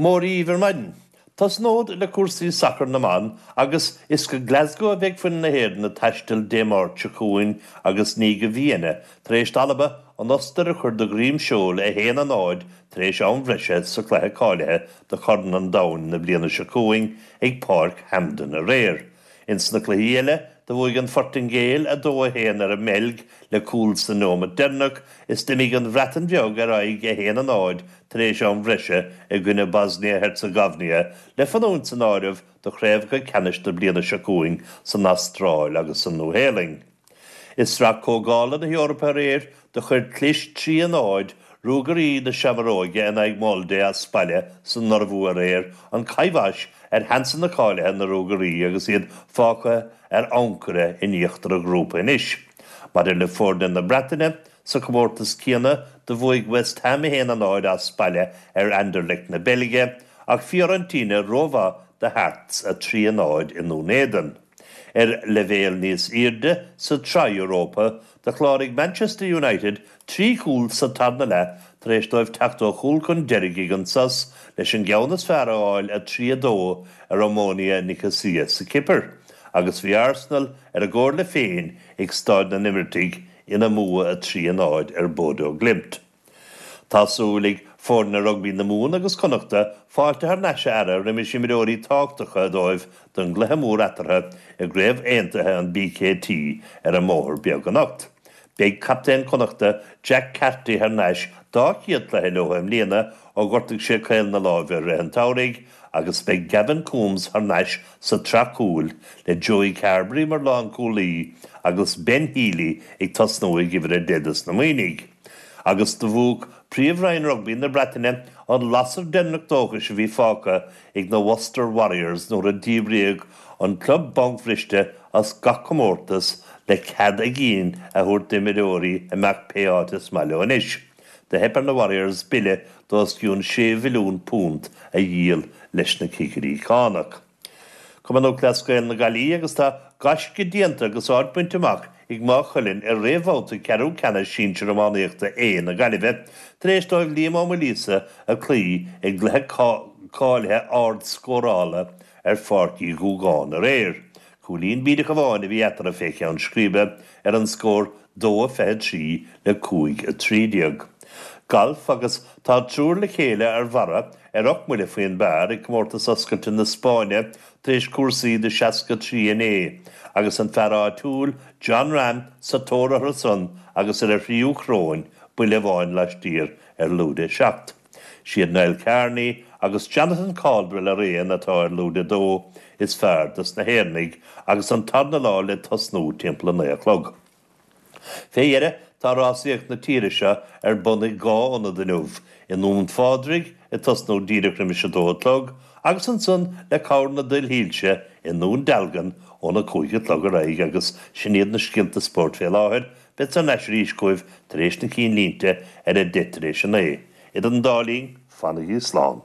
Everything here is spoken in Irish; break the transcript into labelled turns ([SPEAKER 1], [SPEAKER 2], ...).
[SPEAKER 1] Mora dhíbh ar maidin. Tosnód le cúrsaí sacair na mban agus is go Glasgow a bheidh foireann na hÉireann ag taisteal Dé Máirt seo chugainn agus ní go Vienna tar éis d'Alba an Ostair a chur de dhroim seoil 1, 0 tar éis am bhreise sa chluiche cáilithe do Chorn an Domhain na bliana seo chugainn ag Páirc Hampden aréir. Ins na cluichí eile, do bhuaigh an Phortaingéil 2, 1 ar an mBeilg le cúl sa neomat deireanach is d'imigh an Bhreatain Bheag ar aghaidh 1, 0 tar éis am bhreise i gcoinne Bosnia-Herzegovina le fanúint san áireamh do chraobhacha ceannais na bliana seo chugainn san Astráil agus sa Nua-Shéalainn. I Sraith Comhdhála na hEorpa aréir, do chuir clis 3, 0 Ruagairí na Seamróige in aghaidh Molde as baile san Iorbhua aréir an choibhis ar sheansanna cáilithe na Ruagairí agus iad fágtha ar ancaire in íochtar an ghrúpa anois. Maidir le foirne na Breataine, sa chomórtas céanna, do bhuaigh West Ham 1, 0 as baile ar Anderlecht na Beilge ach Fiorentina rómhaith do Hearts 3, 0 i nDún Éideann. Ar leibhéal níos airde sa tSraith Europa, do chláraigh Manchester United 3 chúl sa tarna leath tar éis dóibh teacht ó chúl chun deiridh ag an sos leis an gceann is fearr a fháil 3, 2 ar Omonia Nicosia sa Chipir. Agus bhí Arsenal ar a gcomhairle féin ag Staid na nImircigh ina mbua 3, 0 ar Bodo Glimt. Tá súil ag foirne rugbaí na Mumhan agus Connachta fáilte thar n-ais a fhearadh roimis imreoirí tábhachtacha dóibh don gcluiche mór eatarthu i gCraobh Aontaithe an BKT ar an mBóthar Beag anocht. Beidh captaen Connachta, Jack Carty thar n-ais dá chéad chluiche leo i mbliana ó ghortaigh sé caol na láimhe i rith an tsamhraidh agus beidh Gavin Coombes thar n-ais sa tsraith cúil le Joey Carbery mar lánchúlaí agus Ben Healy ag tosnú ag uimhir 10 dos na Muimhnigh. Agus do mhúch Príomh-Roinn Rugbaí na Breataine an lasair deireanach dóchais a bhí fágtha ag na Worcester Warriors nuair a díbríodh an club bancbhriste as gach comórtas le cead a gcinn a thabhairt d'imreoirí imeacht pé áit is maith leo anois. Do theip ar na Warriors bille d'os cionn £6 mhilliún a dhíol leis na cigirí cánach. Cumann Lúthchleas Gael na Gaillimhe agus tá gaisce déanta agus áit bainte amach ag Maigh Cuilinn i réamhbhabhta ceathrú ceannais sinsir iománaíochta A na Gaillimhe tar éis dóibh Liam Ó Maoilíosa a chloí i gcluiche cáilithe ard-scórála ar Pháirc Uí Dhúgáin aréir. Cúilín bídeach amháin a bhí eatarthu fé cheann scríbe ar an scór 2, 23 le 5, 13. Galf agus tá triúr le chéile ar bharra ar 8 mbuille faoin bpar ag Comórtas Oscailte na Spáinne tar éis cúrsaí de 63 inné agus an fear áitiúil Jon Rahm sa tóir orthu san agus ar a thríú choróin, buille amháin laistiar ar lúide 7. Siad Niall Kearney agus Jonathan Caldwell araon atá ar lúide 2 is fearr dos na hÉireannaigh agus an tarna lá le tosnú timpeall 9 a chlog. Fé dheireadh tá rásaíocht na tíre seo ar bun ag 2 ionad inniu, i nDún Phádraig ag tosnú díreach roimis 2 a chlog agus ansan le cabhair na duillsilte i nDún Dealgan óna 5 a chlog ar aghaidh agus sin iad na scéalta spóirt fé láthair. Bead thar n-ais arís chugaibh tar éis na cinnlínte ar a 9:10. Idir an dá linn, fanaigí slán.